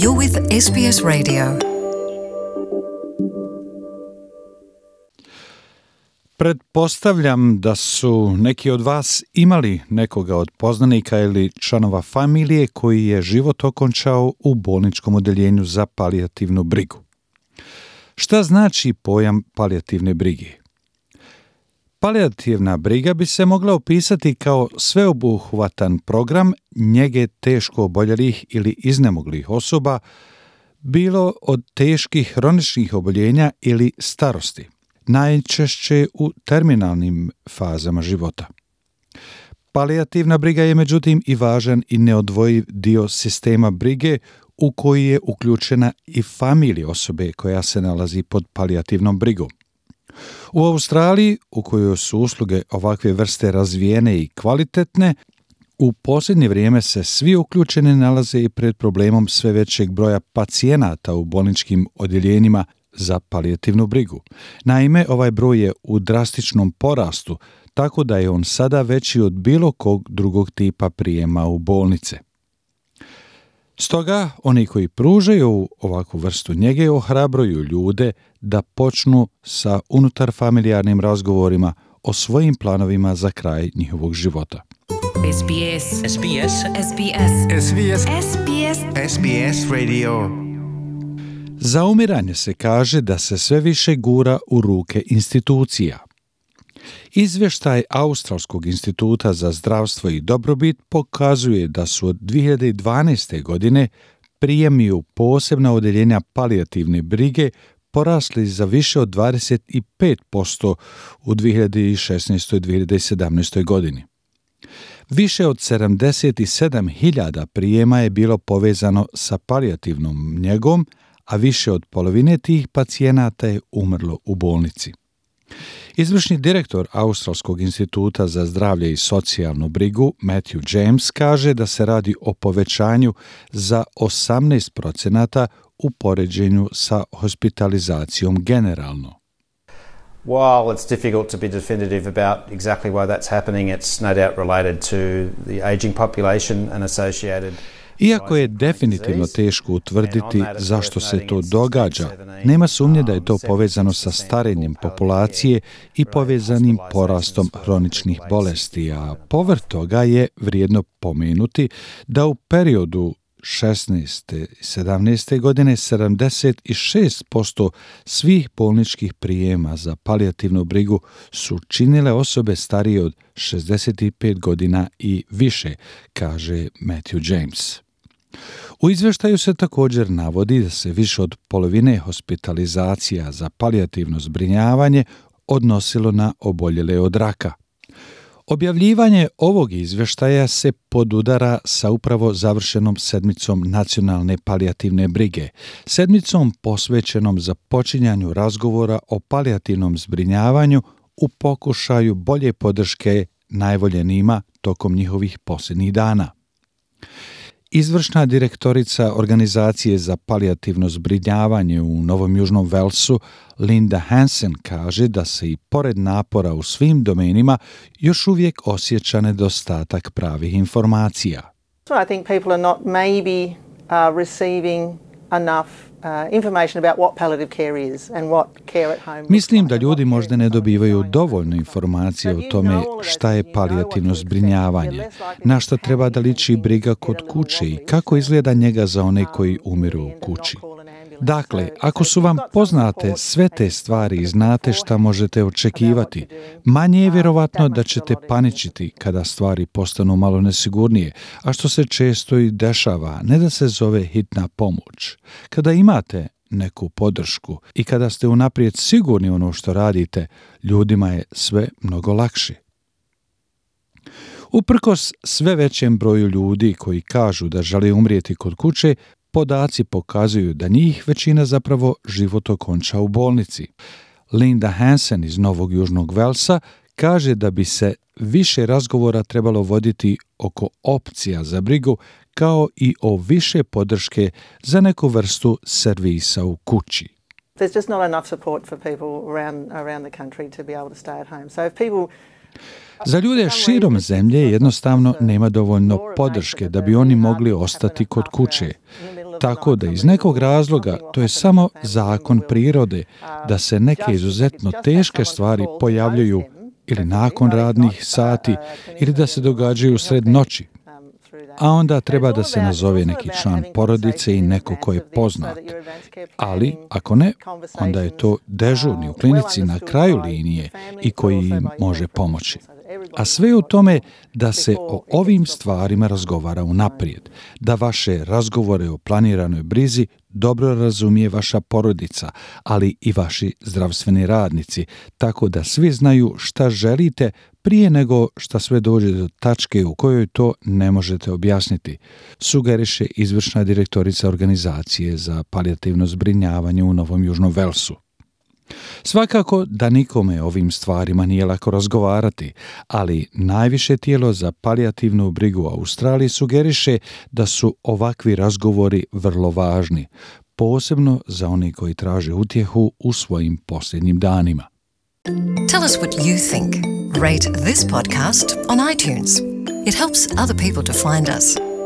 You're with SBS Radio. Pretpostavljam da su neki od vas imali nekoga od poznanika ili članova familije koji je život okončao u bolničkom odeljenju za palijativnu brigu. Šta znači pojam palijativne brige? Palijativna briga bi se mogla opisati kao sveobuhvatan program njege teško oboljelih ili iznemoglih osoba, bilo od teških hroničnih oboljenja ili starosti, najčešće u terminalnim fazama života. Palijativna briga je međutim i važan i neodvojiv dio sistema brige u koji je uključena i familija osobe koja se nalazi pod palijativnom brigom. U Australiji, u kojoj su usluge ovakve vrste razvijene i kvalitetne, u posljednje vrijeme se svi uključeni nalaze i pred problemom sve većeg broja pacijenata u bolničkim odjeljenjima za palijativnu brigu. Naime, ovaj broj je u drastičnom porastu, tako da je on sada veći od bilo kog drugog tipa prijema u bolnice. Stoga, oni koji pružaju ovakvu vrstu njege ohrabruju ljude da počnu sa unutarfamilijarnim razgovorima o svojim planovima za kraj njihovog života. SBS Radio. Za umiranje se kaže da se sve više gura u ruke institucija. Izvještaj Australskog instituta za zdravstvo i dobrobit pokazuje da su od 2012. godine prijemi u posebna odeljenja palijativne brige porasli za više od 25% u 2016. i 2017. godini. Više od 77.000 prijema je bilo povezano sa palijativnom njegom, a više od polovine tih pacijenata je umrlo u bolnici. Izvršni direktor Australskog instituta za zdravlje i socijalnu brigu Matthew James kaže da se radi o povećanju za 18% u poređenju sa hospitalizacijom generalno. While it's difficult to be definitive about exactly why that's happening, it's no doubt related to the aging population and associated. Iako je definitivno teško utvrditi zašto se to događa, nema sumnje da je to povezano sa starenjem populacije i povezanim porastom hroničnih bolesti, a povrh toga je vrijedno pomenuti da u periodu 16. i 17. godine 76% svih bolničkih prijema za palijativnu brigu su činile osobe starije od 65 godina i više, kaže Matthew James. U izvještaju se također navodi da se više od polovine hospitalizacija za palijativno zbrinjavanje odnosilo na oboljele od raka. Objavljivanje ovog izvještaja se podudara sa upravo završenom sedmicom nacionalne palijativne brige, sedmicom posvećenom započinjanju razgovora o palijativnom zbrinjavanju u pokušaju bolje podrške najvoljenijima tokom njihovih posljednjih dana. Izvršna direktorica Organizacije za palijativno zbrinjavanje u Novom Južnom Velsu, Linda Hansen, kaže da se i pored napora u svim domenima još uvijek osjeća nedostatak pravih informacija. I think people are not maybe receiving enough information about what palliative care is and what care at home. Mislim da ljudi možda ne dobivaju dovoljno informacije o tome šta je palijativno zbrinjavanje, na šta treba da liči briga kod kuće i kako izgleda njega za one koji umiru u kući. Dakle, ako su vam poznate sve te stvari i znate šta možete očekivati, manje je vjerovatno da ćete paničiti kada stvari postanu malo nesigurnije, a što se često i dešava, ne da se zove hitna pomoć. Kada imate neku podršku i kada ste unaprijed sigurni ono što radite, ljudima je sve mnogo lakše. Uprkos sve većem broju ljudi koji kažu da žele umrijeti kod kuće, podaci pokazuju da njih većina zapravo život okonča u bolnici. Linda Hansen iz Novog Južnog Velsa kaže da bi se više razgovora trebalo voditi oko opcija za brigu kao i o više podrške za neku vrstu servisa u kući. There's just not enough support for people around the country to be able to stay at home. So if people Za ljude širom zemlje jednostavno nema dovoljno podrške da bi oni mogli ostati kod kuće. Tako da iz nekog razloga to je samo zakon prirode da se neke izuzetno teške stvari pojavljuju ili nakon radnih sati ili da se događaju sred noći. A onda treba da se nazove neki član porodice i neko ko je poznat. Ali, ako ne, onda je to dežurni u klinici na kraju linije i koji im može pomoći. A sve u tome da se o ovim stvarima razgovara unaprijed, da vaše razgovore o planiranoj brizi dobro razumije vaša porodica, ali i vaši zdravstveni radnici, tako da svi znaju šta želite prije nego šta sve dođe do tačke u kojoj to ne možete objasniti, sugeriše izvršna direktorica organizacije za palijativno zbrinjavanje u Novom Južnom Velsu. Svakako da nikome o ovim stvarima nije lako razgovarati, ali najviše tijelo za palijativnu brigu u Australiji sugeriše da su ovakvi razgovori vrlo važni, posebno za one koji traže utjehu u svojim posljednjim danima. Tell us what you think. Rate this podcast on iTunes. It helps other people to find us.